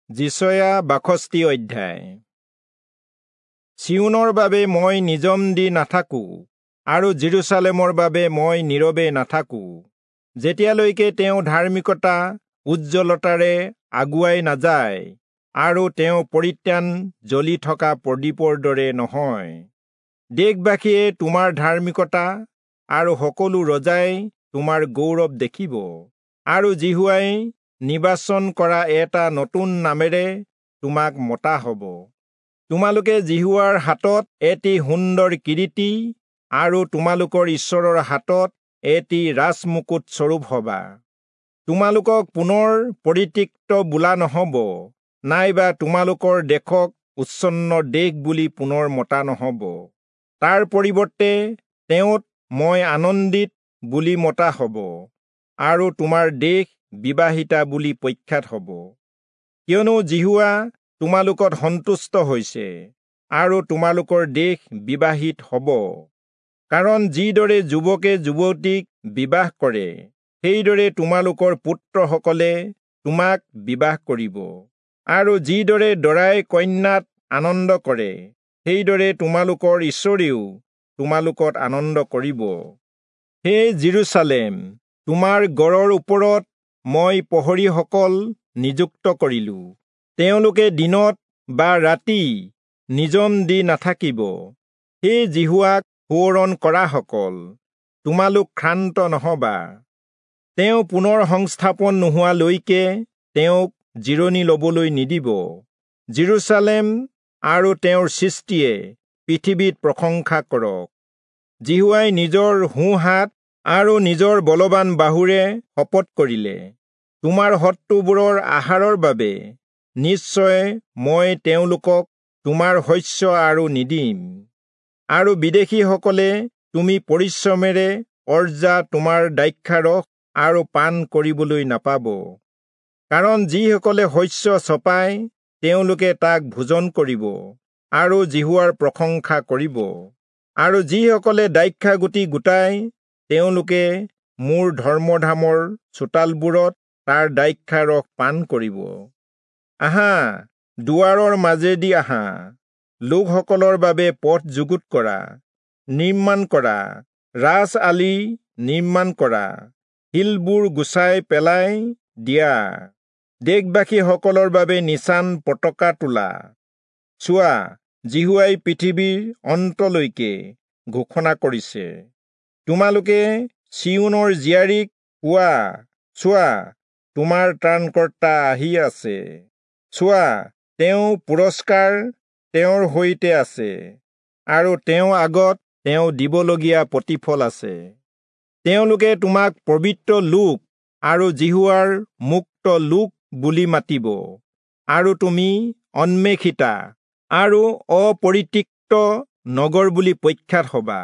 যিচয়া ৬২ অধ্যায়। চিয়োনৰ বাবে মই নিজম দি নাথাকো আৰু যিৰূচালেমৰ বাবে মই নীৰৱে নাথাকো, যেতিয়ালৈকে তেওঁ ধাৰ্মিকতা উজ্জ্বলতাৰে আগুৱাই নাযায় আৰু তেওঁ পৰিত্ৰাণ জ্বলি থকা প্ৰদীপৰ দৰে নহয়। দেশবাসীয়ে তোমাৰ ধাৰ্মিকতা আৰু সকলো ৰজাই তোমাৰ গৌৰৱ দেখিব, আৰু যিহোৱাই নিৰ্বাচন কৰা এটা নতুন নামেৰে তোমাক মতা হ'ব। তোমালোকে যিহোৱাৰ হাতত এটি সুন্দৰ কিৰীটি আৰু তোমালোকৰ ঈশ্বৰৰ হাতত এটি ৰাজমুকুট স্বৰূপ হবা। তোমালোকক পুনৰ পৰিত্যক্ত বোলা নহ'ব, নাইবা তোমালোকৰ দেশক উচ্ছন্ন দেশ বুলি পুনৰ মতা নহ'ব। তাৰ পৰিৱৰ্তে তেওঁত মই আনন্দিত বুলি মতা হ'ব, আৰু তোমাৰ দেশ বিবাহিতা বুলি প্ৰখ্যাত হ'ব। কিয়নো যিহোৱা তোমালোকত সন্তুষ্ট হৈছে, আৰু তোমালোকৰ দেশ বিবাহিত হ'ব। কাৰণ যিদৰে যুৱকে যুৱতীক বিবাহ কৰে, সেইদৰে তোমালোকৰ পুত্ৰসকলে তোমাক বিবাহ কৰিব, আৰু যিদৰে দৰাই কন্যাত আনন্দ কৰে, সেইদৰে তোমালোকৰ ঈশ্বৰেও তোমালোকত আনন্দ কৰিব। হে যিৰূচালেম, তোমাৰ গড়ৰ ওপৰত মই প্ৰহৰীসকল নিযুক্ত কৰিলো, তেওঁলোকে দিনত বা ৰাতি নিজম দি নাথাকিব। হে যিহোৱাক সোঁৱৰণ কৰাসকল, তোমালোক ক্ষান্ত নহবা। তেওঁ পুনৰ সংস্থাপন নোহোৱালৈকে তেওঁক জিৰণি লবলৈ নিদিব। যিৰূচালেম আৰু তেওঁৰ সৃষ্টিয়ে পৃথিৱীত প্ৰশংসা কৰক। যিহোৱাই নিজৰ সোঁহাত আৰু নিজৰ বলৱান বাহুৰে শপত কৰিলে, তোমাৰ শত্ৰুবোৰৰ আহাৰৰ বাবে নিশ্চয় মই তেওঁলোকক তোমাৰ শস্য আৰু নিদিম, আৰু বিদেশীসকলে তুমি পৰিশ্ৰমেৰে অৰ্জা তোমাৰ দ্ৰাক্ষাৰস আৰু পান কৰিবলৈ নাপাব। কাৰণ যিসকলে শস্য চপায়, তেওঁলোকে তাক ভোজন কৰিব আৰু যিহোৱাৰ প্ৰশংসা কৰিব, আৰু যিসকলে দ্ৰাক্ষাগুটি গোটায়, তেওঁলোকে মোৰ ধৰ্মধামৰ চোতালবোৰত তাৰ দ্ৰাক্ষাৰস পান কৰিব। আহা, দুৱাৰৰ মাজেদি আহা, লোকসকলৰ বাবে পথ যুগুত কৰা, নিৰ্মাণ কৰা, ৰাজ আলি নিৰ্মাণ কৰা, শিলবোৰ গুচাই পেলাই দিয়া, দেশবাসীসকলৰ বাবে নিচান পতাকা তোলা। চোৱা, যিহোৱাই পৃথিৱীৰ অন্তলৈকে ঘোষণা কৰিছে। তোমালোকে চিয়োনৰ জীয়াৰীক কোৱা, চোৱা, তোমাৰ ত্ৰাণকৰ্তা আহি আছে, চোৱা, তেওঁ পুৰস্কাৰ তেওঁৰ সৈতে আছে, আৰু তেওঁ আগত তেওঁ দিবলগীয়া প্ৰতিফল আছে। তেওঁলোকে তোমাক পবিত্ৰ লোক আৰু যিহোৱাৰ মুক্ত লোক বুলি মাতিব, আৰু তুমি অন্বেষিতা আৰু অপৰিত্যক্ত নগৰ বুলি প্ৰখ্যাত হবা।